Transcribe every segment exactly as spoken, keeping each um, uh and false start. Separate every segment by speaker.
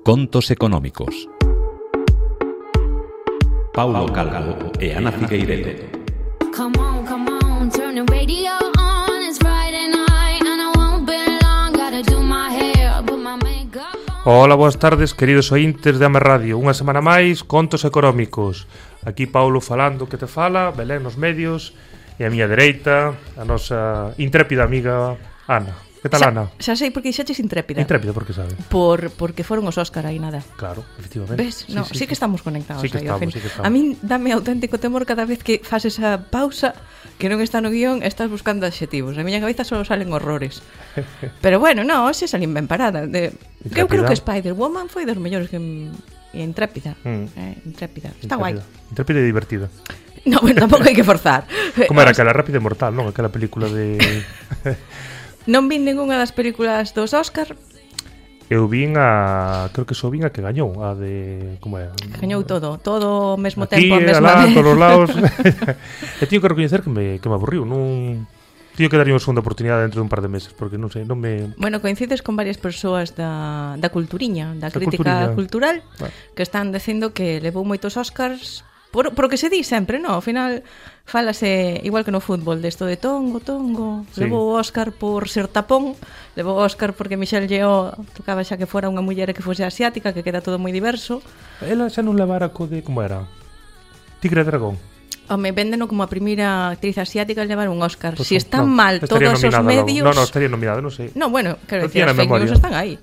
Speaker 1: Contos económicos. Paulo Calvo e Ana Figueiredo.
Speaker 2: Come on, come on, turn the radio on. It's Friday night and I won't be long. Gotta do my hair, put my makeup on.
Speaker 3: Ola, boas tardes, queridos ointes de Ame Radio. Unha semana máis, Contos económicos. Aquí Paulo falando que te fala, Belén nos medios, e a miña dereita, a nosa intrépida amiga Ana. Que tal,
Speaker 4: xa,
Speaker 3: Ana?
Speaker 4: Xa sei por que xaches intrépida.
Speaker 3: Intrépida, por que sabe?
Speaker 4: Por, porque foron os Óscar aí nada.
Speaker 3: Claro, efectivamente.
Speaker 4: Ves?
Speaker 3: Sí,
Speaker 4: No,
Speaker 3: sí,
Speaker 4: sí, sí que estamos conectados.
Speaker 3: Sí que
Speaker 4: aí, ao
Speaker 3: estamos,
Speaker 4: fin.
Speaker 3: sí que estamos.
Speaker 4: A min dame auténtico temor cada vez que fas esa pausa que non está no guión, estás buscando adxetivos. Na miña cabeza só salen horrores. Pero bueno, no, hoxe salín ben parada. De... Eu creo que Spider-Woman foi dos mellores que... E intrépida.
Speaker 3: Mm.
Speaker 4: Eh, intrépida. Está guai.
Speaker 3: Intrépida e divertida.
Speaker 4: No, bueno, tampouco hai que forzar.
Speaker 3: Como era aquela Rápida e Mortal, non? Aquela película de...
Speaker 4: Non vin ningunha das películas dos Óscar.
Speaker 3: Eu vin a... Creo que só vin a que gañou. A de... Como é?
Speaker 4: Gañou todo. Todo ao mesmo
Speaker 3: Aquí,
Speaker 4: tempo, a mesma
Speaker 3: alá,
Speaker 4: vez.
Speaker 3: todos os lados. E teño que recoñecer que me, que me aburriu. Non... Teño que darlle unha segunda oportunidade dentro de un par de meses. Porque non sei, non me...
Speaker 4: Bueno, coincides con varias persoas da, da culturiña, da,
Speaker 3: Da
Speaker 4: crítica
Speaker 3: culturiña.
Speaker 4: cultural,
Speaker 3: Bueno.
Speaker 4: que están dicindo que levou moitos Óscars por, por o que se di sempre, no? Ao final fálase igual que no fútbol desto de tongo, tongo,
Speaker 3: Sí.
Speaker 4: levou o Óscar por ser tapón, levou o Óscar porque Michelle Yeoh tocaba xa que fora unha muller e que fose asiática, que queda todo moi diverso.
Speaker 3: Ela xa non levara co de... Como era? Tigre e Dragón.
Speaker 4: Home, véndeno como a primeira actriz asiática a levar un Óscar.
Speaker 3: Pues
Speaker 4: Si
Speaker 3: non,
Speaker 4: están
Speaker 3: non,
Speaker 4: mal
Speaker 3: estaría
Speaker 4: todos os
Speaker 3: nominada logo.
Speaker 4: medios...
Speaker 3: No, no, estaría nominada, non sei.
Speaker 4: No, bueno, quero
Speaker 3: Non
Speaker 4: decir,
Speaker 3: tiña
Speaker 4: as
Speaker 3: na
Speaker 4: fake news
Speaker 3: memoria.
Speaker 4: están aí.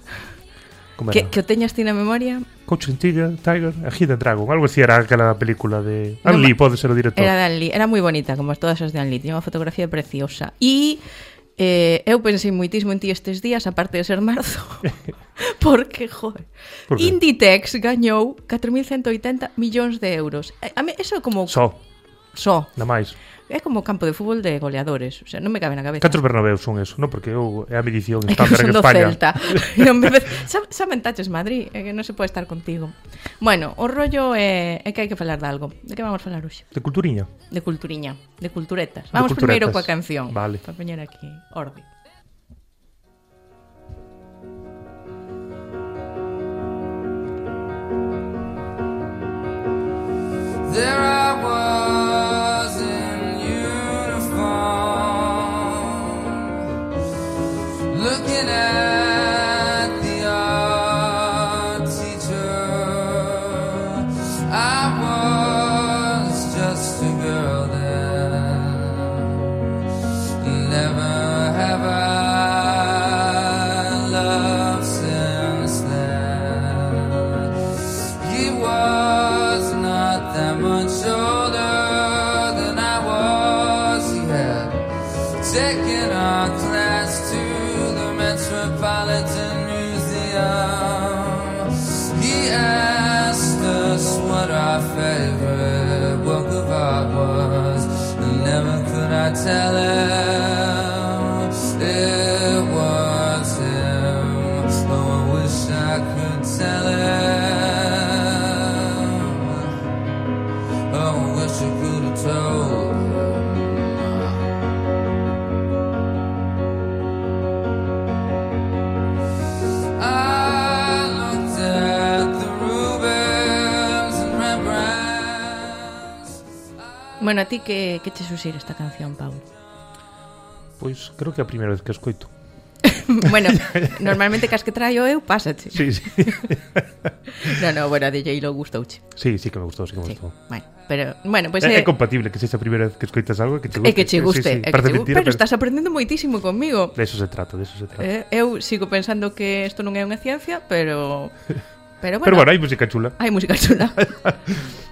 Speaker 3: Como
Speaker 4: Que,
Speaker 3: era?
Speaker 4: que o teñas ti na memoria.
Speaker 3: Coach and Tiger, Tiger, a Hidden Dragon. Algo así era aquela película de...
Speaker 4: No,
Speaker 3: Ang Lee, pode ser o director.
Speaker 4: Era de Ang Lee, era moi bonita, como as todas as de Ang Lee. Tiña unha fotografía preciosa. E eh, eu pensei moitísimo en ti estes días, aparte de ser marzo. Porque, joder,
Speaker 3: Por que?
Speaker 4: Inditex gañou catro mil ciento oitenta millóns de euros. Eh, A mí, eso é como...
Speaker 3: Só,
Speaker 4: Só.
Speaker 3: na máis.
Speaker 4: É como campo de fútbol de goleadores. O sea, non me cabe na cabeza.
Speaker 3: Catros Bernabéus son eso, non? Porque eu é a medición
Speaker 4: É que
Speaker 3: estándar
Speaker 4: son
Speaker 3: en
Speaker 4: do
Speaker 3: España.
Speaker 4: Celta. Non me... Xa, xa mentaches Madrid, é que non se pode estar contigo. Bueno, o rollo é, é que hai que falar de algo. De que vamos falar hoxe?
Speaker 3: De culturiña.
Speaker 4: De culturiña, de culturetas.
Speaker 3: De
Speaker 4: Vamos
Speaker 3: culturetas.
Speaker 4: primeiro coa canción.
Speaker 3: Vale.
Speaker 4: Para poñer aquí orde.
Speaker 5: There I was in uniform, looking at the art teacher. I was just a girl then. Never have I loved since then. He was not that much older than I was. He had taken our class to the Metropolitan Museum. He asked us what our favorite work of art was, and never could I tell him it was him. Oh, I wish I could tell him. Oh, I wish I could have told him. I looked at the Rubens and Rembrandts.
Speaker 4: Bueno, a ti que, que che suxire esta canción, Paulo?
Speaker 3: Pois creo que é a primeira vez que a escoito.
Speaker 4: Bueno, normalmente cas que traio eu, pásache.
Speaker 3: Sí, sí.
Speaker 4: No, no, bueno, a D J lo gustouche.
Speaker 3: Sí, sí que me gustou, sí que me
Speaker 4: Sí,
Speaker 3: gustou.
Speaker 4: bueno, pero, bueno, pois
Speaker 3: É,
Speaker 4: pues,
Speaker 3: é compatible que sexa a primeira vez que escoitas algo que te guste.
Speaker 4: é que che guste,
Speaker 3: Sí, sí,
Speaker 4: é que
Speaker 3: parece
Speaker 4: che
Speaker 3: mentira,
Speaker 4: pero estás aprendendo moitísimo comigo.
Speaker 3: De eso se trata, de eso se trata.
Speaker 4: Eh, eu sigo pensando que isto non é unha ciencia, pero pero bueno.
Speaker 3: Pero bueno, hai música chula.
Speaker 4: Hai música chula.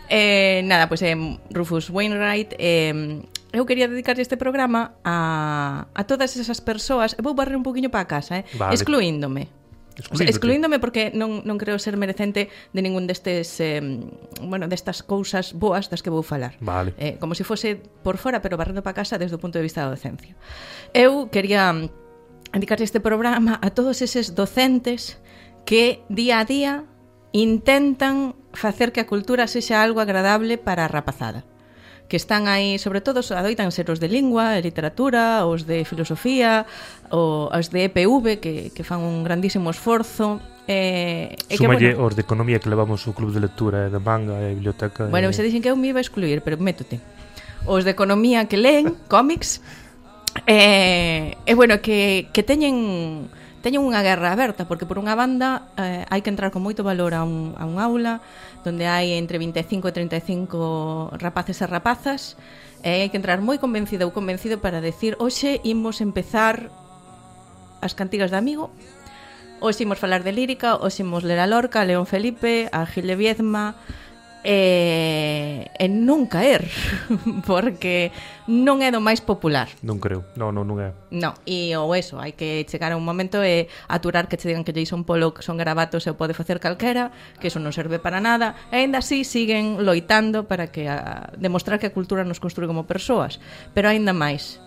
Speaker 4: eh, nada, pois pues, eh, Rufus Wainwright, eh, eu quería dedicarlle este programa a, a todas esas persoas. Eu vou barrer un poquinho para casa, eh?
Speaker 3: Vale.
Speaker 4: Excluíndome. O sea,
Speaker 3: Excluíndote.
Speaker 4: excluíndome porque non, non creo ser merecente de ningún destes eh, bueno, destas cousas boas das que vou falar.
Speaker 3: Vale.
Speaker 4: Eh, como se fose por fora, pero barrendo para casa desde o punto de vista da docencia. Eu quería dedicarlle este programa a todos eses docentes que día a día intentan facer que a cultura sexa algo agradable para a rapazada. Que están aí, sobre todo, adoitan ser os de lingua, de literatura, os de filosofía, ou os de E P V, que, que fan un grandísimo esforzo, Eh, e que,
Speaker 3: Súmalle
Speaker 4: bueno,
Speaker 3: os de economía que levamos o club de lectura e de manga e biblioteca.
Speaker 4: bueno,
Speaker 3: e...
Speaker 4: se dixen que eu me iba a excluir, pero métote. Os de economía que leen cómics eh, e bueno, que, que teñen teñen unha guerra aberta, porque por unha banda eh, hai que entrar con moito valor a un, a un aula donde hai entre vinte e cinco e treinta e cinco rapaces e rapazas, e hai que entrar moi convencido ou convencido para decir: hoxe imos empezar as cantigas de Amigo, hoxe imos falar de lírica, hoxe imos ler a Lorca, a León Felipe, a Gil de Viedma, e, e non caer, porque non é do máis popular.
Speaker 3: Non creo, non, non, non é.
Speaker 4: No, e ou eso, hai que chegar a un momento e aturar que che digan que Jason Pollock son garabatos e o pode facer calquera, que eso non serve para nada, e ainda así siguen loitando para que a, demostrar que a cultura nos construe como persoas, pero ainda máis,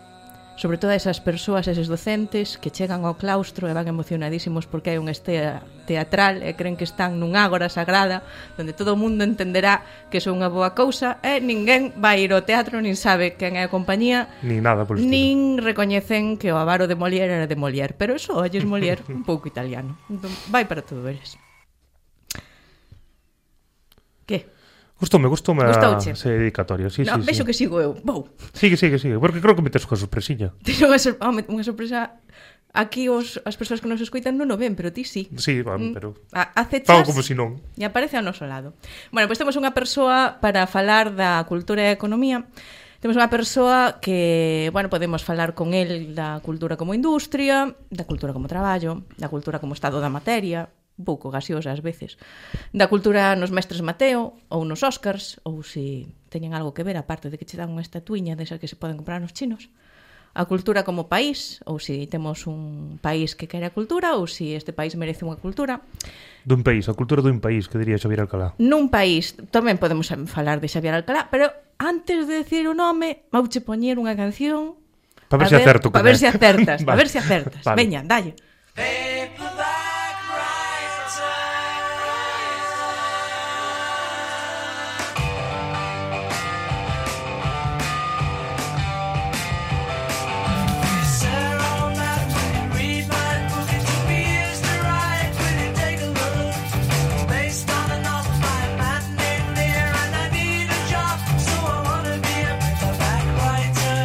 Speaker 4: sobre todo esas persoas, eses docentes que chegan ao claustro e van emocionadísimos porque hai un estea teatral e creen que están nun ágora sagrada onde todo o mundo entenderá que son unha boa cousa e ninguén vai ir ao teatro nin sabe quen é a compañía
Speaker 3: Ni nada por estilo.
Speaker 4: nin recoñecen que o avaro de Molière era de Molière, pero eso olles Molière un pouco italiano, entón vai para todo eres. Que?
Speaker 3: Gustoume, gustoume a
Speaker 4: Gustouche?
Speaker 3: ese dedicatorio, sí,
Speaker 4: No,
Speaker 3: sí,
Speaker 4: vexo
Speaker 3: sí.
Speaker 4: que sigo eu, vou.
Speaker 3: Sigue, sigue, sigue, porque creo que metes coa sorpresiña.
Speaker 4: Teño unha, sor home, unha sorpresa. Aquí os, as persoas que nos escoitan non o ven, pero ti sí.
Speaker 3: Sí, van,
Speaker 4: Mm,
Speaker 3: pero...
Speaker 4: a- acechas
Speaker 3: Fago como si non.
Speaker 4: e aparece ao noso lado. Bueno, pois temos unha persoa para falar da cultura e a economía. Temos unha persoa que, bueno, podemos falar con el da cultura como industria, da cultura como traballo, da cultura como estado da materia, un pouco gaseosa ás veces, da cultura nos mestres Mateo ou nos Óscars, ou se teñen algo que ver, aparte de que che dan unha estatuiña desas que se poden comprar nos chinos, a cultura como país, ou se temos un país que quere a cultura, ou se este país merece unha cultura.
Speaker 3: Dun país, a cultura dun país, que diría Xavier Alcalá.
Speaker 4: Nun país, tamén podemos falar de Xavier Alcalá, pero antes de decir o nome, vouche poñer unha canción
Speaker 3: Para ver
Speaker 4: a
Speaker 3: se acerto.
Speaker 4: Para ver se acertas,
Speaker 3: Vale.
Speaker 4: a ver se acertas.
Speaker 3: Vale.
Speaker 4: Veña, dalle.
Speaker 5: Paperback writer. Sir, on that, will you read my book? It took me years to write. Will you take a look? It's based on a novel by a man named Lear, and I need a job, so I wanna be a paperback writer.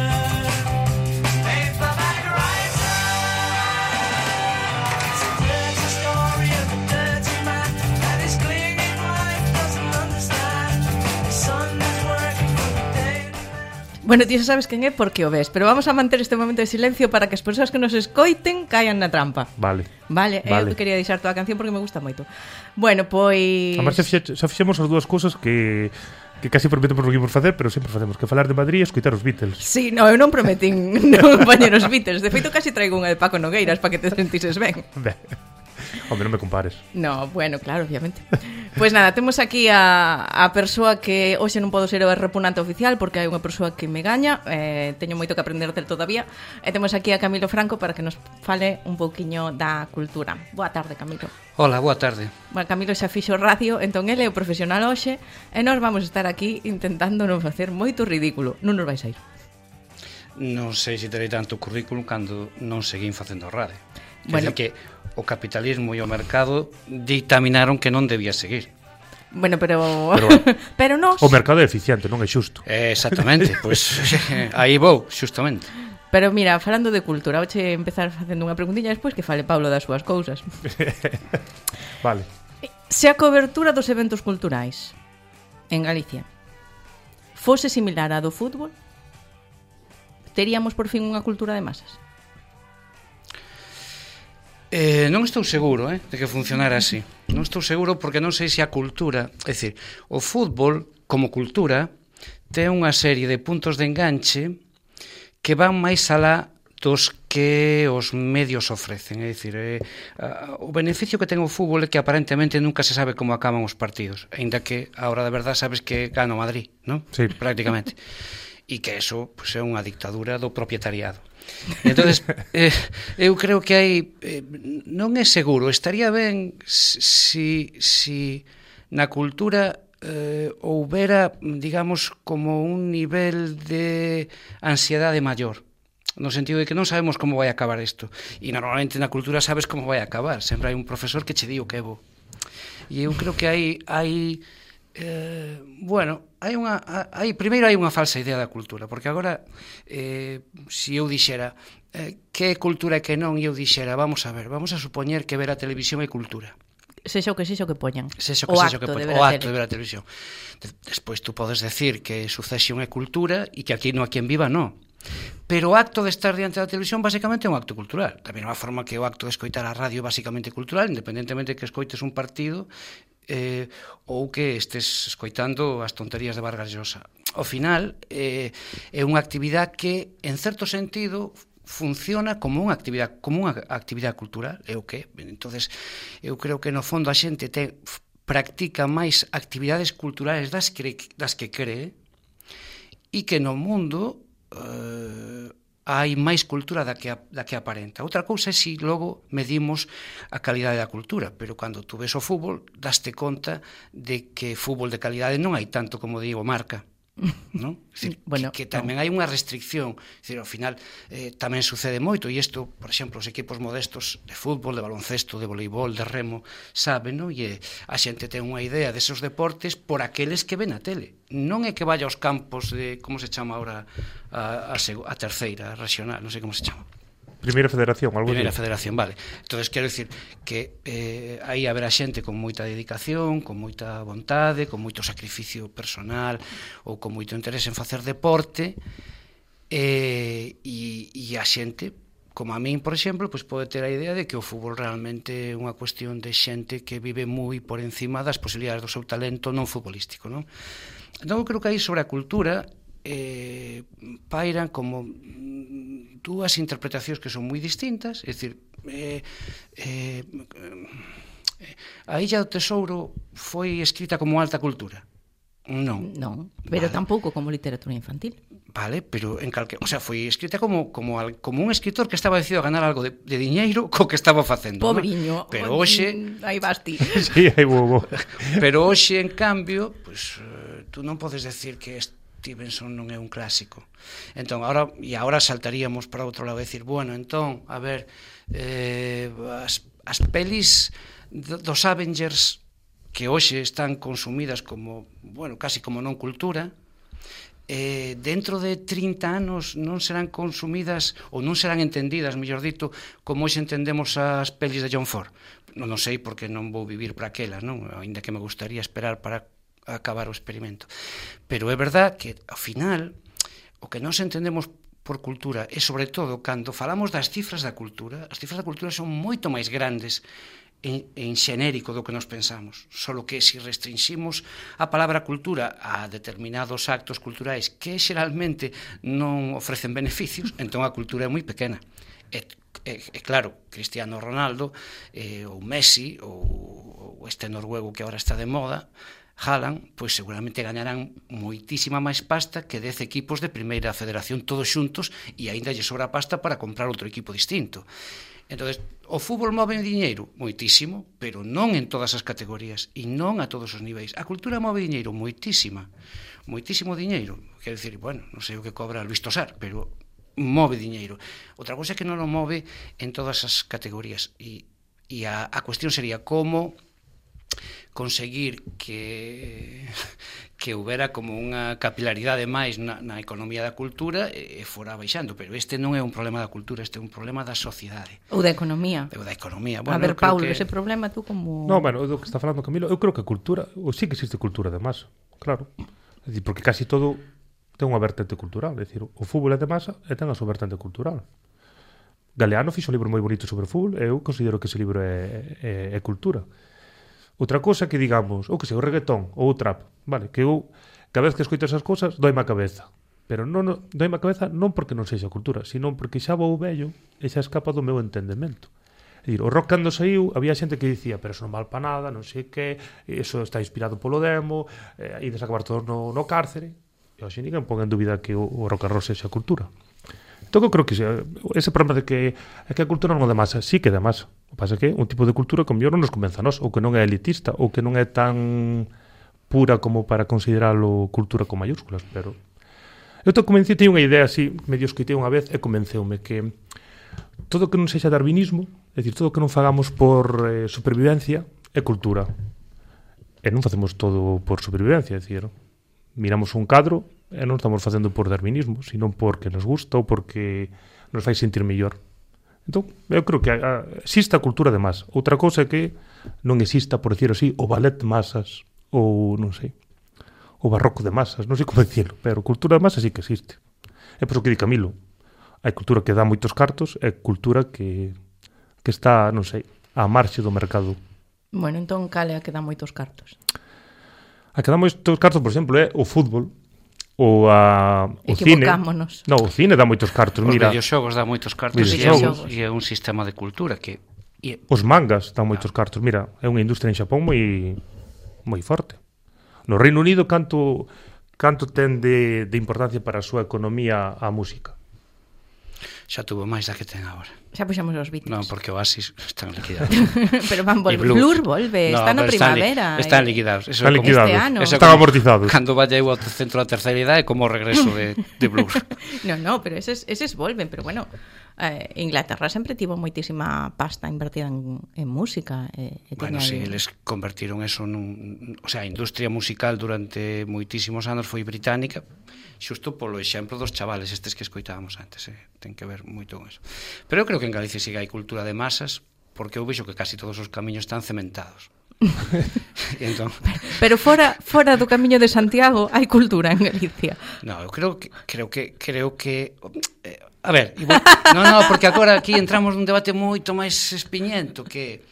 Speaker 5: Paperback writer. It's a dirty story of a dirty man and his clinging wife doesn't understand. His son is working for the Daily Mail.
Speaker 4: Bueno, ti xa sabes quen é porque o ves, pero vamos a manter este momento de silencio para que as persoas que nos escoiten caian na trampa.
Speaker 3: Vale.
Speaker 4: Vale,
Speaker 3: Vale.
Speaker 4: eu quería deixar toda a canción porque me gusta moito. Bueno, pois...
Speaker 3: Además, xa, fixe- xa fixemos as dúas cousas que que casi prometemos que íamos facer, pero sempre facemos, que falar de Madrid e escoitar os Beatles.
Speaker 4: Sí, no, eu non prometín non poñer os Beatles. De feito, casi traigo unha de Paco Nogueiras para que te sentises ben.
Speaker 3: Ben. Hombre, non me compares.
Speaker 4: No, bueno, claro, obviamente. Pois nada, temos aquí a, a persoa que hoxe non podo ser o repunante oficial porque hai unha persoa que me gaña, eh, teño moito que aprender del todavía, e temos aquí a Camilo Franco para que nos fale un pouquiño da cultura. Boa tarde, Camilo.
Speaker 6: Hola, boa tarde.
Speaker 4: Bueno, Camilo xa fixo radio, entón ele é o profesional hoxe, e nós vamos estar aquí intentando non facer moito ridículo. Non nos vais a ir.
Speaker 6: Non sei se terei tanto currículum cando non seguín facendo radio.
Speaker 4: Bueno.
Speaker 6: Bueno, que o capitalismo e o mercado dictaminaron que non debía seguir.
Speaker 4: Bueno, pero...
Speaker 3: Pero
Speaker 4: Pero,
Speaker 3: bueno.
Speaker 4: pero nós...
Speaker 3: O mercado é eficiente, non é xusto.
Speaker 6: Eh, exactamente, pois aí vou, xustamente.
Speaker 4: Pero mira, falando de cultura, hoxe empezar facendo unha preguntilla despois que fale Paulo das súas cousas.
Speaker 3: Vale.
Speaker 4: Se a cobertura dos eventos culturais en Galicia fose similar á do fútbol, teríamos por fin unha cultura de masas?
Speaker 6: Eh, non estou seguro eh, de que funcionara así. Non estou seguro porque non sei se a cultura... É dicir, o fútbol, como cultura, ten unha serie de puntos de enganche que van máis alá dos que os medios ofrecen. É dicir, eh, o beneficio que ten o fútbol é que aparentemente nunca se sabe como acaban os partidos, aínda que a hora da verdad sabes que gana o Madrid, non?
Speaker 3: Sí.
Speaker 6: Prácticamente. E que eso pues, é unha dictadura do propietariado. Entonces, eh, eu creo que hai eh, non é seguro, estaría ben si, si na cultura eh, houbera, digamos, como un nivel de ansiedade maior. no sentido de que non sabemos como vai acabar isto. E normalmente na cultura sabes como vai acabar, sempre hai un profesor que che di o que é bo. E eu creo que hai hai eh, bueno, hai unha hai primeiro hai unha falsa idea da cultura, porque agora eh, se eu dixera eh, que é cultura e que non, e eu dixera, vamos a ver, vamos a supoñer que ver a televisión é cultura.
Speaker 4: Sexa o que sexa o que poñan.
Speaker 6: Sexa o que
Speaker 4: o
Speaker 6: sexa o que
Speaker 4: acto,
Speaker 6: poñan.
Speaker 4: de, ver
Speaker 6: O
Speaker 4: a
Speaker 6: acto
Speaker 4: tele.
Speaker 6: de ver a televisión. Despois tú podes decir que Succession é cultura e que aquí no Aquí en Viva non. Pero o acto de estar diante da televisión basicamente é un acto cultural. Da mesma forma que o acto de escoitar a radio é basicamente cultural, independentemente que escoites un partido eh, ou que estes escoitando as tonterías de Vargas Llosa. Ao final, eh, é unha actividade que, en certo sentido, funciona como unha actividade como unha actividade cultural, é o que. Entonces, eu creo que no fondo a xente te practica máis actividades culturales das que das que cree e que no mundo eh, hai máis cultura da que da que aparenta. Outra cousa é se logo medimos a calidade da cultura, pero cando tú ves o fútbol, daste conta de que fútbol de calidade non hai tanto como digo Marca. ¿No? Decir,
Speaker 4: bueno,
Speaker 6: que, que tamén no. hai unha restricción, decir, ao final eh, tamén sucede moito, e isto, por exemplo, os equipos modestos de fútbol, de baloncesto, de voleibol, de remo, saben, no? E a xente ten unha idea desos deportes por aqueles que ven a tele. Non é que vaya aos campos de, como se chama ahora a, a, a terceira regional, non sei como se chama.
Speaker 3: Primeira Federación, algo
Speaker 6: Primeira
Speaker 3: así.
Speaker 6: Federación, vale. Entonces quero dicir que eh, aí haberá xente con moita dedicación, con moita vontade, con moito sacrificio personal ou con moito interese en facer deporte eh, e, e a xente, como a min, por exemplo, pois pode ter a idea de que o fútbol realmente é unha cuestión de xente que vive moi por encima das posibilidades do seu talento non futbolístico, non? Entón eu creo que aí sobre a cultura eh, pairan como dúas interpretacións que son moi distintas, é dicir, eh, eh, a Illa do Tesouro foi escrita como alta cultura? Non.
Speaker 4: Non, pero
Speaker 6: vale.
Speaker 4: tampouco como literatura infantil.
Speaker 6: Vale, pero en calque, o sea, foi escrita como como al, como un escritor que estaba decidido a ganar algo de, de diñeiro co que estaba facendo,
Speaker 4: Pobriño.
Speaker 6: ¿no? Pero hoxe,
Speaker 4: aí vas ti.
Speaker 3: Sí, hai bobo.
Speaker 6: pero hoxe en cambio, pues uh, tú non podes decir que Stevenson non é un clásico. Entón, ahora, e agora saltaríamos para outro lado e decir, bueno, entón, a ver, eh, as, as pelis dos Avengers que hoxe están consumidas como, bueno, casi como non cultura, eh, dentro de trinta anos non serán consumidas ou non serán entendidas, mellor dito, como hoxe entendemos as pelis de John Ford. Non, non sei porque non vou vivir para aquelas, non? Ainda que me gustaría esperar para acabar o experimento. Pero é verdad que, ao final, o que nós entendemos por cultura e, sobre todo, cando falamos das cifras da cultura, as cifras da cultura son moito máis grandes en, en xenérico do que nos pensamos. Solo que, se restringimos a palabra cultura a determinados actos culturais que xeralmente non ofrecen beneficios, entón a cultura é moi pequena. E, e, e claro, Cristiano Ronaldo, eh, ou Messi, ou, ou este noruego que agora está de moda, Haaland, pois seguramente gañarán moitísima máis pasta que dez equipos de primeira federación todos xuntos e aínda lle sobra pasta para comprar outro equipo distinto. Entonces, o fútbol move diñeiro moitísimo, pero non en todas as categorías e non a todos os niveis. A cultura move diñeiro moitísima, moitísimo diñeiro. Quero dicir, bueno, non sei o que cobra Luis Tosar, pero move diñeiro. Outra cousa é que non o move en todas as categorías e, e a, a cuestión sería como conseguir que que houbera como unha capilaridade máis na, na economía da cultura e fora baixando, pero este non é un problema da cultura, este é un problema da sociedade.
Speaker 4: Ou da economía.
Speaker 6: Ou da economía.
Speaker 4: Bueno, a ver, Paulo, que... ese problema tú como...
Speaker 3: No, bueno, do que está falando Camilo, eu creo que a cultura, ou sí que existe cultura de masa, claro. É dicir, porque casi todo ten unha vertente cultural, é dicir, o fútbol é de masa e ten a súa vertente cultural. Galeano fixo un libro moi bonito sobre fútbol e eu considero que ese libro é, é, é cultura. Outra cosa que digamos, ou que sei, o reggaetón ou o trap, vale, que eu cada vez que escoito esas cousas doime a cabeza, pero non, non doime a cabeza non porque non sexa cultura, sino porque xa vou vello e xa escapa do meu entendemento. É dicir, o rock cando saiu había xente que dicía, pero eso non val pa nada, non sei que, eso está inspirado polo demo, eh, ides a acabar todos no, no cárcere, e hoxe ninguén pon en dúbida que o, o rock and roll sexa cultura. Entón, eu creo que ese problema de que, é que a cultura non é de masa, sí que é de masa. O que pasa é que un tipo de cultura que mellor non nos convenza a nós, ou que non é elitista, ou que non é tan pura como para consideralo cultura con mayúsculas, pero Eu estou convencido, teño unha idea así, medio escoitei unha vez e convenceume que todo que non sexa darwinismo, é dicir, todo que non fagamos por eh, supervivencia é cultura. E non facemos todo por supervivencia, é dicir, miramos un cadro e non estamos facendo por darwinismo, sino porque nos gusta ou porque nos fai sentir mellor. Entón, eu creo que a, a, existe a cultura de masa. Outra cousa é que non exista, por decir así, o ballet de masas ou, non sei, o barroco de masas, non sei como dicirlo, pero cultura de masas sí que existe. É por iso que di Camilo. Hai cultura que dá moitos cartos e cultura que, que está, non sei, á marxe do mercado.
Speaker 4: Bueno, entón, cal é a que dá moitos cartos?
Speaker 3: A que dá moitos cartos, por exemplo, é o fútbol, ou a, o cine.
Speaker 4: Equivocámonos.
Speaker 3: No, o cine dá moitos cartos.
Speaker 6: Os
Speaker 3: Mira,
Speaker 6: videoxogos dá moitos cartos e é, un, e é un sistema de cultura que... E...
Speaker 3: Os mangas dan moitos cartos. Mira, é unha industria en Xapón moi moi forte. No Reino Unido, canto canto ten de, de importancia para a súa economía a música?
Speaker 6: Xa tuvo máis da que ten agora.
Speaker 4: Xa puxamos os Beatles.
Speaker 6: Non, porque Oasis están liquidados.
Speaker 4: Pero van volver.
Speaker 6: Blur.
Speaker 4: Blur volve,
Speaker 6: No,
Speaker 4: está na
Speaker 6: pero
Speaker 4: primavera.
Speaker 6: Están, li están
Speaker 4: eh.
Speaker 6: liquidados. Eso
Speaker 3: Están
Speaker 6: é como-
Speaker 3: liquidados.
Speaker 4: Este ano.
Speaker 6: Eso é
Speaker 3: Están
Speaker 6: como
Speaker 3: amortizados.
Speaker 6: Cando vaya eu ao centro da terceira idade é como o regreso de, de Blur.
Speaker 4: No, no, pero eses, eses volven, pero bueno, eh, Inglaterra sempre tivo moitísima pasta invertida en, en música. Eh, e
Speaker 6: Bueno,
Speaker 4: teña
Speaker 6: si,
Speaker 4: aí-
Speaker 6: eles convertiron eso nun... O sea, a industria musical durante moitísimos anos foi británica, xusto polo exemplo dos chavales estes que escoitábamos antes, eh? Ten que ver moito con eso. Pero eu creo que en Galicia siga hai cultura de masas, porque eu vexo que casi todos os camiños están cementados. E entón,
Speaker 4: Pero fora fora do Camiño de Santiago hai cultura en Galicia.
Speaker 6: no, eu creo que creo que creo que eh, a ver, igual, no, no, porque agora aquí entramos nun debate moito máis espiñento que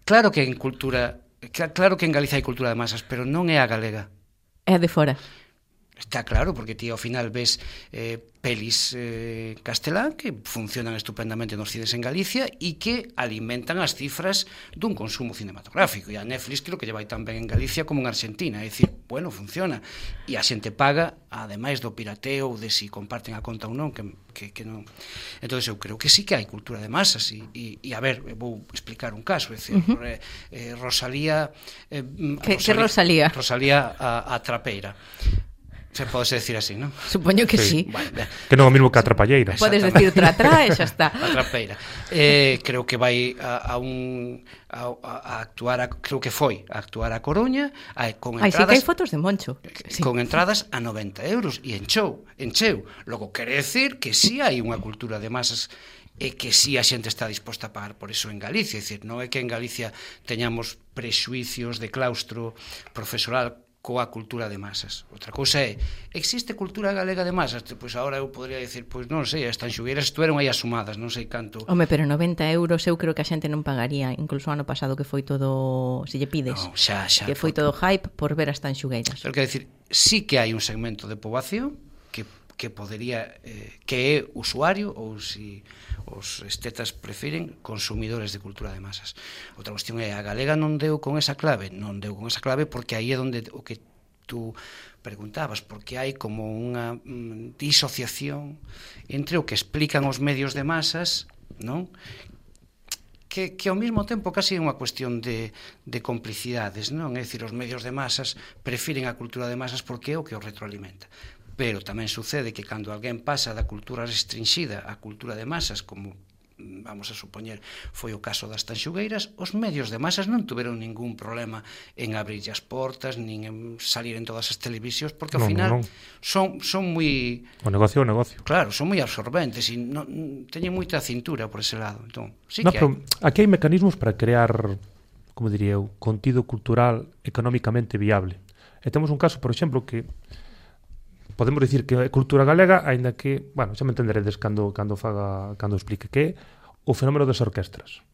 Speaker 6: claro que en cultura, que, claro que en Galicia hai cultura de masas, pero non é a galega.
Speaker 4: É de fora.
Speaker 6: Está claro, porque ti ao final ves eh, pelis eh, castelán que funcionan estupendamente nos cines en Galicia e que alimentan as cifras dun consumo cinematográfico. E a Netflix creo que lle vai tan ben en Galicia como en Argentina. É dicir, bueno, funciona. E a xente paga, ademais do pirateo, ou de si comparten a conta ou non, que, que, que non... Entón, eu creo que sí que hai cultura de masas. E, e, e a ver, vou explicar un caso. É dicir, uh -huh. eh, Rosalía... Eh,
Speaker 4: Que, que Rosalía?
Speaker 6: Rosalía a, a trapeira. Se pode decir así, non?
Speaker 4: Supoño que sí.
Speaker 6: Bueno, ben.
Speaker 3: Que non é o mesmo que a trapalleira.
Speaker 4: Podes decir tratrá e xa está.
Speaker 6: A trapeira. Eh, creo que vai a, a un a, a actuar a, creo que foi a actuar a Coruña, a, con
Speaker 4: Ai, sí que
Speaker 6: entradas
Speaker 4: hai fotos de Moncho. Sí.
Speaker 6: con entradas a noventa euros e encheu, encheu. Logo quere decir que si sí hai unha cultura de masas e que si sí a xente está disposta a pagar por eso en Galicia, é dicir, non é que en Galicia teñamos prexuicios de claustro profesoral coa cultura de masas. Outra cousa é, existe cultura galega de masas? Pois agora eu podría dicir, pois non sei, as tanxugueiras estuveron aí asumadas, non sei canto.
Speaker 4: Home, pero noventa euros eu creo que a xente non pagaría, incluso o ano pasado que foi todo, se lle pides,
Speaker 6: No, xa, xa.
Speaker 4: que foi todo hype por ver as tanxugueiras.
Speaker 6: Pero quero dicir, sí que hai un segmento de poboación que que podería eh, que é usuario ou si os estetas prefiren consumidores de cultura de masas. Outra cuestión é a galega non deu con esa clave, non deu con esa clave porque aí é onde o que tú preguntabas, porque hai como unha mm, disociación entre o que explican os medios de masas, non? Que, que ao mesmo tempo casi é unha cuestión de, de complicidades, non? É dicir, os medios de masas prefiren a cultura de masas porque é o que os retroalimenta. Pero tamén sucede que cando alguén pasa da cultura restringida á cultura de masas, como vamos a supoñer foi o caso das tanxugueiras, os medios de masas non tuveron ningún problema en abrir as portas, nin en salir en todas as televisións, porque ao
Speaker 3: Non,
Speaker 6: final
Speaker 3: non.
Speaker 6: son son moi...
Speaker 3: O negocio é o negocio.
Speaker 6: Claro, son moi absorbentes e non, teñen moita cintura por ese lado. Entón, sí
Speaker 3: No,
Speaker 6: que
Speaker 3: pero
Speaker 6: hai.
Speaker 3: aquí hai mecanismos para crear, como diría eu, contido cultural económicamente viable. E temos un caso, por exemplo, que podemos dicir que é cultura galega, aínda que, bueno, xa me entenderedes cando cando faga cando explique que é o fenómeno das orquestras.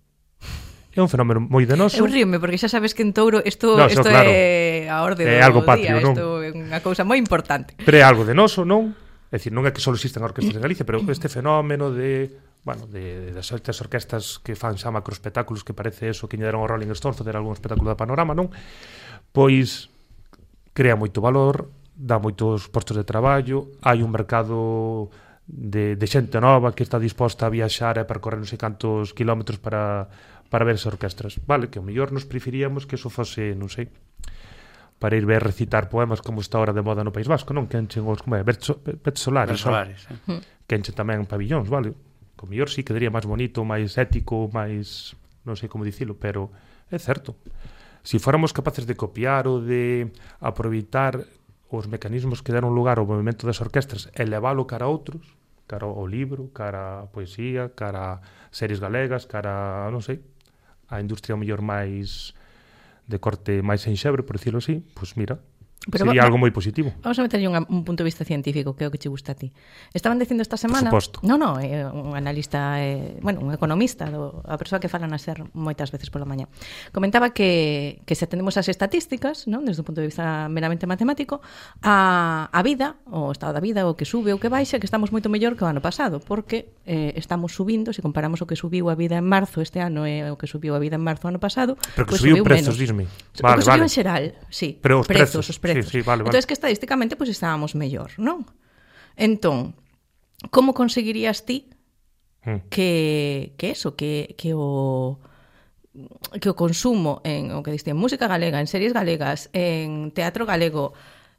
Speaker 3: É un fenómeno moi denoso.
Speaker 4: Eu ríome porque xa sabes que en Touro isto
Speaker 3: No,
Speaker 4: isto
Speaker 3: claro.
Speaker 4: é a orde do
Speaker 3: É algo patrio,
Speaker 4: día,
Speaker 3: non?
Speaker 4: isto é unha cousa moi importante.
Speaker 3: Pero é algo denoso, non? É dicir, non é que só existen orquestras en Galicia, pero este fenómeno de, bueno, de, de das estas orquestas que fan xa macroespectáculos que parece eso que lle deron ao Rolling Stones facer algún espectáculo de panorama, non? Pois crea moito valor, dá moitos postos de traballo, hai un mercado de, de xente nova que está disposta a viaxar e percorrer non sei cantos kilómetros para, para ver esas orquestras. Vale, que o mellor nos preferíamos que eso fose, non sei, para ir ver recitar poemas como está ahora de moda no País Vasco, non? Que enchen os, como é, Verso Solares,
Speaker 6: Solares,
Speaker 3: eh? Que enchen tamén pabillóns, vale? Co mellor sí quedaría máis bonito, máis ético, máis, non sei como dicilo, pero é certo. Si fóramos capaces de copiar ou de aproveitar os mecanismos que deron lugar ao movimento das orquestras e leválo cara a outros, cara ao libro, cara a poesía, cara a series galegas, cara a, non sei, a industria mellor máis de corte máis enxebre, por dicilo así, pois mira, pero sería va, algo moi positivo.
Speaker 4: Vamos a meterlle un, un punto de vista científico, que é o que che gusta a ti. Estaban dicindo esta semana...
Speaker 3: Por suposto.
Speaker 4: No, no, é un analista, é, bueno, un economista, do, a persoa que fala na SER moitas veces pola mañá. Comentaba que, que se atendemos as estatísticas, non, desde o punto de vista meramente matemático, a, a vida, o estado da vida, o que sube, o que baixa, que estamos moito mellor que o ano pasado, porque eh, estamos subindo, se comparamos o que subiu a vida en marzo este ano e o que subiu a vida en marzo ano pasado,
Speaker 3: pero que
Speaker 4: pues
Speaker 3: subiu,
Speaker 4: subiu
Speaker 3: prezos,
Speaker 4: menos.
Speaker 3: Disme.
Speaker 4: Vale, o que subiu
Speaker 3: vale.
Speaker 4: en xeral, sí.
Speaker 3: Pero os prezos,
Speaker 4: prezos os prezos.
Speaker 3: Sí, sí, vale, vale.
Speaker 4: Entón, que estadísticamente pues, estábamos mellor, non? Entón, como conseguirías ti mm. que, que eso, que, que o que o consumo en o que diste, en música galega, en series galegas, en teatro galego,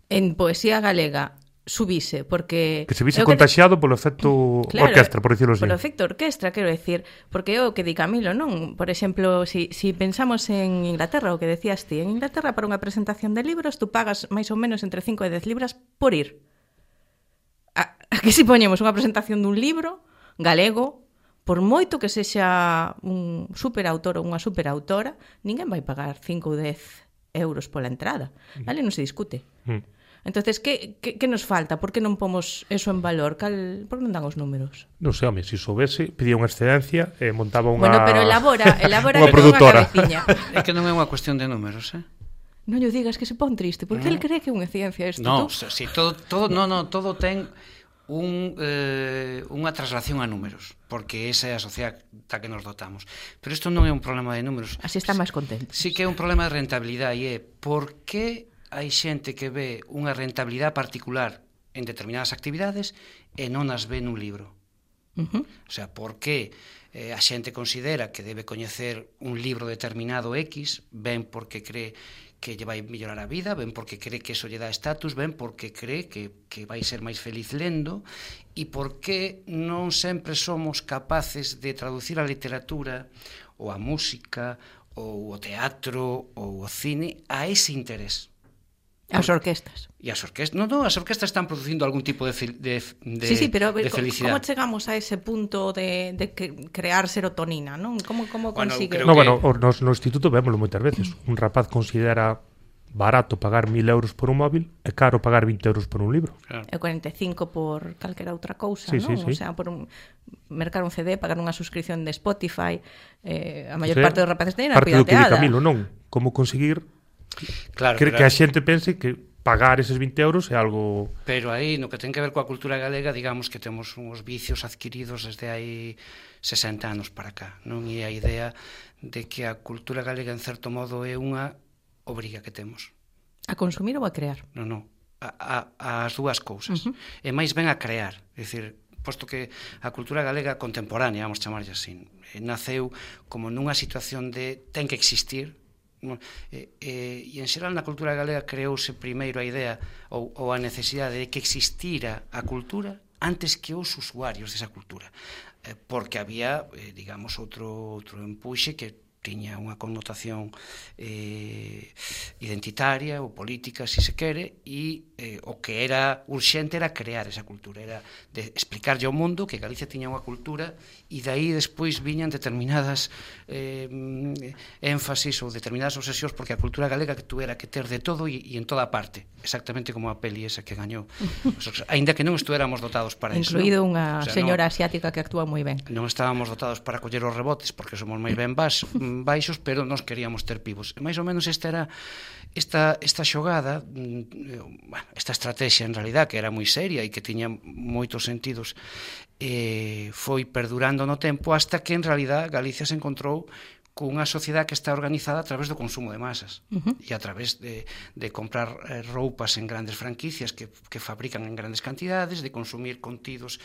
Speaker 4: en poesía galega subise, porque...
Speaker 3: Que se vise contaxiado que... polo efecto claro, orquestra, por dicirlo así.
Speaker 4: Polo efecto orquestra, quero decir, porque é o que di Camilo, non? Por exemplo, si, si pensamos en Inglaterra, o que decías ti, en Inglaterra para unha presentación de libros tú pagas máis ou menos entre cinco e dez libras por ir. A, aquí si poñemos unha presentación dun libro galego, por moito que sexa un superautor ou unha superautora, ninguén vai pagar cinco ou dez euros pola entrada. Ali non se discute. Mm. Entonces, que, que, que nos falta? Por que non pomos eso en valor? Cal, por que non dan os números?
Speaker 3: Non sei, home, se soubese, pedía unha excedencia e eh, montaba unha...
Speaker 4: Bueno, pero elabora, elabora
Speaker 3: unha produtora.
Speaker 6: É que non é unha cuestión de números, eh?
Speaker 4: Non lle digas que se pon triste, porque no. El cree que é unha ciencia isto.
Speaker 6: No, si, todo, todo, no, no, todo ten un, eh, unha traslación a números, porque esa é a sociedade da que nos dotamos. Pero isto non é un problema de números.
Speaker 4: Así está máis contento.
Speaker 6: Sí que é un problema de rentabilidade e é por que hai xente que ve unha rentabilidade particular en determinadas actividades e non as ve nun libro. Uh-huh. O sea, por que eh, a xente considera que debe coñecer un libro determinado X, ben porque cree que lle vai mellorar a vida, ben porque cree que eso lle dá estatus, ben porque cree que, que vai ser máis feliz lendo, e por que non sempre somos capaces de traducir a literatura ou a música ou o teatro ou o cine a ese interés.
Speaker 4: As orquestas.
Speaker 6: E as orquestas, no, no, as orquestas están producindo algún tipo de, de, de,
Speaker 4: sí, sí, pero,
Speaker 6: de felicidade.
Speaker 4: Como chegamos a ese punto de, de crear serotonina, non? Como, como
Speaker 6: bueno,
Speaker 4: consigue...
Speaker 3: No,
Speaker 6: que...
Speaker 3: bueno, no, no instituto vémoslo moitas veces. Un rapaz considera barato pagar mil euros por un móvil e caro pagar vinte euros por un libro.
Speaker 4: Claro. E cuarenta e cinco por calquera outra cousa,
Speaker 3: sí,
Speaker 4: non?
Speaker 3: Sí, sí.
Speaker 4: O sea, por un, mercar un C D, pagar unha suscripción de Spotify, eh, a maior sí, parte dos rapaces teñen a pirateada.
Speaker 3: Parte do que di Camilo, non? Como conseguir
Speaker 6: claro,
Speaker 3: que,
Speaker 6: pero...
Speaker 3: que a xente pense que pagar eses vinte euros é algo...
Speaker 6: Pero aí, no que ten que ver coa cultura galega, digamos que temos uns vicios adquiridos desde hai sesenta anos para cá, non? E a idea de que a cultura galega, en certo modo, é unha obriga que temos.
Speaker 4: A consumir ou a crear?
Speaker 6: Non, non, a, a, as dúas cousas. Uh-huh. E máis ben a crear, é dicir, posto que a cultura galega contemporánea, vamos chamarlle así, naceu como nunha situación de ten que existir. E, e, e en xeral na cultura galega creouse primeiro a idea ou, ou a necesidade de que existira a cultura antes que os usuarios desa cultura, eh, porque había, eh, digamos, outro, outro empuxe que tiña unha connotación eh, identitaria ou política, se se quere, e eh, o que era urxente era crear esa cultura, era de explicarlle ao mundo que Galicia tiña unha cultura, e daí despois viñan determinadas eh, énfasis ou determinadas obsesións, porque a cultura galega que tuera que ter de todo e, e en toda parte, exactamente como a peli esa que gañou, aínda que non estuéramos dotados para iso.
Speaker 4: Incluído unha
Speaker 6: o sea,
Speaker 4: señora
Speaker 6: non,
Speaker 4: asiática que actúa moi ben.
Speaker 6: Non estábamos dotados para coller os rebotes, porque somos máis ben bas, baixos, pero nós queríamos ter pivos. E máis ou menos esta era esta, esta xogada, bueno, esta estrategia en realidad, que era moi seria e que tiña moitos sentidos, eh, foi perdurando no tempo hasta que en realidad Galicia se encontrou cunha sociedade que está organizada a través do consumo de masas uh-huh. e a través de, de comprar eh, roupas en grandes franquicias que, que fabrican en grandes cantidades, de consumir contidos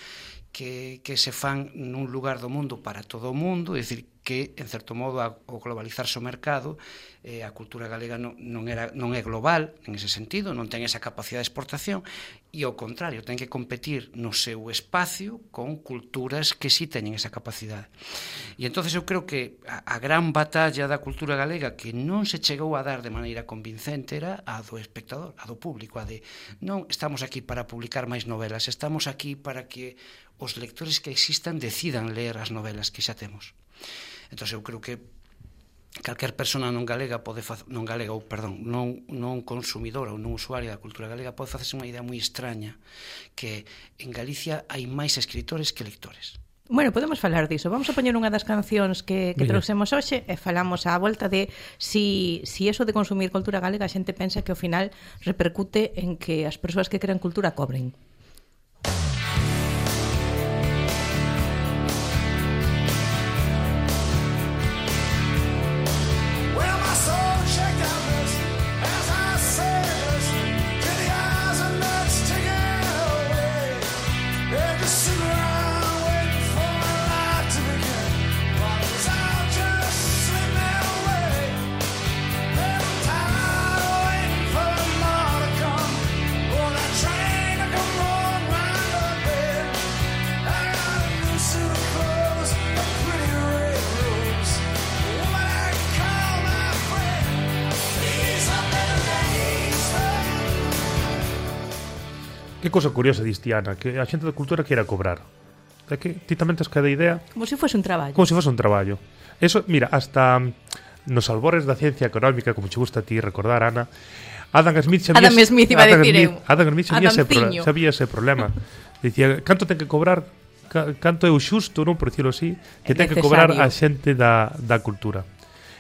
Speaker 6: que, que se fan nun lugar do mundo para todo o mundo, é dicir, que, en certo modo, a, o globalizarse o mercado, eh, a cultura galega non, non, era, non é global, en ese sentido, non ten esa capacidade de exportación, e, ao contrario, ten que competir no seu espacio con culturas que sí teñen esa capacidade. E, entonces eu creo que a, a gran batalla da cultura galega que non se chegou a dar de maneira convincente era a do espectador, a do público, a de non estamos aquí para publicar máis novelas, estamos aquí para que os lectores que existan decidan ler as novelas que xa temos. Entón, eu creo que calquer persona non galega pode facer, non galega, ou perdón, non, non consumidora ou non usuaria da cultura galega pode facerse unha idea moi extraña, que en Galicia hai máis escritores que lectores.
Speaker 4: Bueno, podemos falar diso. Vamos a poñer unha das cancións que, que trouxemos hoxe e falamos á volta de si, si eso de consumir cultura galega a xente pensa que ao final repercute en que as persoas que crean cultura cobren.
Speaker 3: Que cosa curiosa diste, Ana, que a xente da cultura queira cobrar. É que ti tamén tes cada idea
Speaker 4: como se fose un traballo.
Speaker 3: Como se fose un traballo. Eso, mira, hasta nos albores da ciencia económica, como che gusta a ti recordar, Ana, Adam Smith sabía
Speaker 4: Adam Smith iba a decir eu.
Speaker 3: Adam Smith sabía ese, pro, sabía ese problema. Dicía, canto ten que cobrar, canto é o xusto, non, por dicirlo así, que ten que cobrar a xente da, da cultura.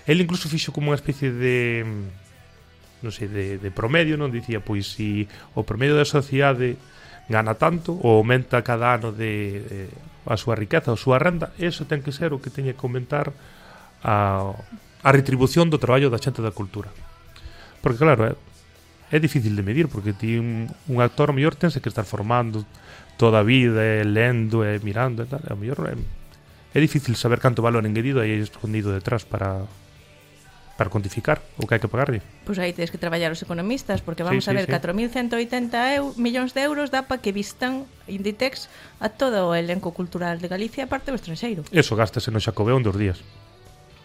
Speaker 3: El incluso fixo como unha especie de non sei, de, de promedio, non dicía, pois si o promedio da sociedade gana tanto ou aumenta cada ano de, de a súa riqueza, a súa renda, eso ten que ser o que teña que aumentar a, a retribución do traballo da xente da cultura. Porque claro, é, é difícil de medir, porque ti un, un actor o mellor tense que estar formando toda a vida, e lendo e mirando e tal, e o mellor é, é difícil saber canto valor engadido hai escondido detrás para para cuantificar o que hai que pagarlle.
Speaker 4: Pois aí tens que traballar os economistas, porque vamos
Speaker 3: sí, sí,
Speaker 4: a ver,
Speaker 3: sí.
Speaker 4: catro mil ciento oitenta eu, millóns de euros dá para que vistan Inditex a todo o elenco cultural de Galicia e parte do estranxeiro.
Speaker 3: Eso gástase no Xacobeo en dos días.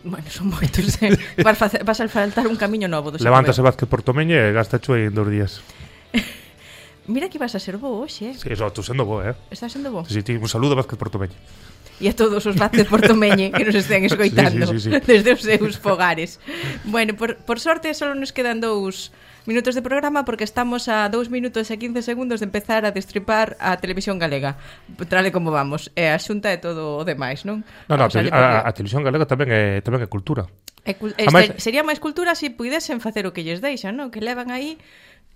Speaker 4: Bueno, son moitos, eh? vas, facer, vas a faltar un camiño novo do Xacobeo.
Speaker 3: Levántase Vázquez Portomeña e gasta cho en dos días.
Speaker 4: Mira que vas a ser bo hoxe, eh?
Speaker 3: Sí, eso, tú sendo bo, eh?
Speaker 4: Estás sendo bo?
Speaker 3: Sí, sí, un saludo a Vázquez Portomeña.
Speaker 4: E a todos os Vázquez Portomeñe que nos estén escoitando
Speaker 3: sí, sí, sí, sí.
Speaker 4: desde os seus fogares. Bueno, por, por sorte só nos quedan dous minutos de programa porque estamos a dous minutos e quince segundos de empezar a destripar a televisión galega. Trale como vamos. E a xunta é todo o demais, non?
Speaker 3: No, no, o sea, a, a televisión galega tamén é, tamén é cultura.
Speaker 4: É, este, Además, sería máis cultura se si puidesen facer o que lles deixan, non? Que levan aí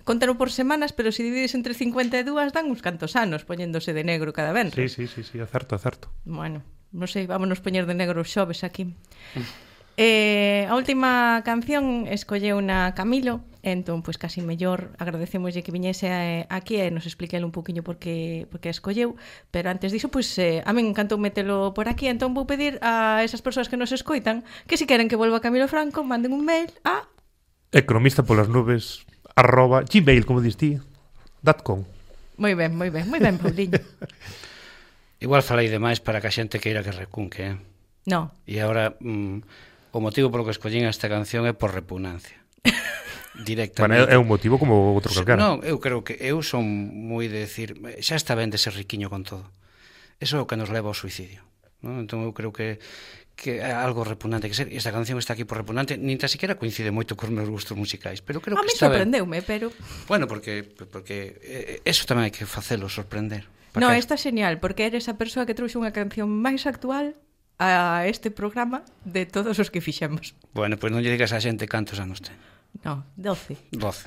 Speaker 4: contaro por semanas, pero se divides entre cincuenta e dúas dan uns cantos anos poñéndose de negro cada vez.
Speaker 3: Sí, sí, sí, sí, é certo, é certo.
Speaker 4: Bueno, non sei, vámonos poñer de negro os xoves aquí. eh, a última canción escolleu na Camilo, entón, pois casi mellor agradecemoslle que viñese a, aquí e nos expliquele un poquinho por que, por que escolleu, pero antes diso, pois eh, a min encantou metelo por aquí, entón vou pedir a esas persoas que nos escoitan que se queren que volva Camilo Franco, manden un mail a
Speaker 3: economista polas nubes arroba gmail, como dis ti, dot com.
Speaker 4: Moi ben, moi ben, moi ben, Pauliño.
Speaker 6: Igual falei demais para que a xente queira que recunque, eh?
Speaker 4: No.
Speaker 6: E agora, mm, o motivo polo que escollín esta canción é por repugnancia. Directamente.
Speaker 3: Bueno, é un motivo como outro calquera.
Speaker 6: Non, eu creo que eu son moi de decir, xa está ben de ser riquiño con todo. Eso é o que nos leva ao suicidio, non? Entón eu creo que que é algo repugnante que ser. E esta canción está aquí por repugnante, nin tan siquiera coincide moito cos meus gustos musicais, pero creo
Speaker 4: a
Speaker 6: que
Speaker 4: mí
Speaker 6: está ben.
Speaker 4: sorprendeume, pero
Speaker 6: Bueno, porque porque eh, eso tamén hai que facelo, sorprender.
Speaker 4: No, está genial, porque eres a persoa que trouxe unha canción máis actual a este programa de todos os que fixemos.
Speaker 6: Bueno, pois pues non lle digas a xente cantos anos ten.
Speaker 4: No, doce.
Speaker 6: doce.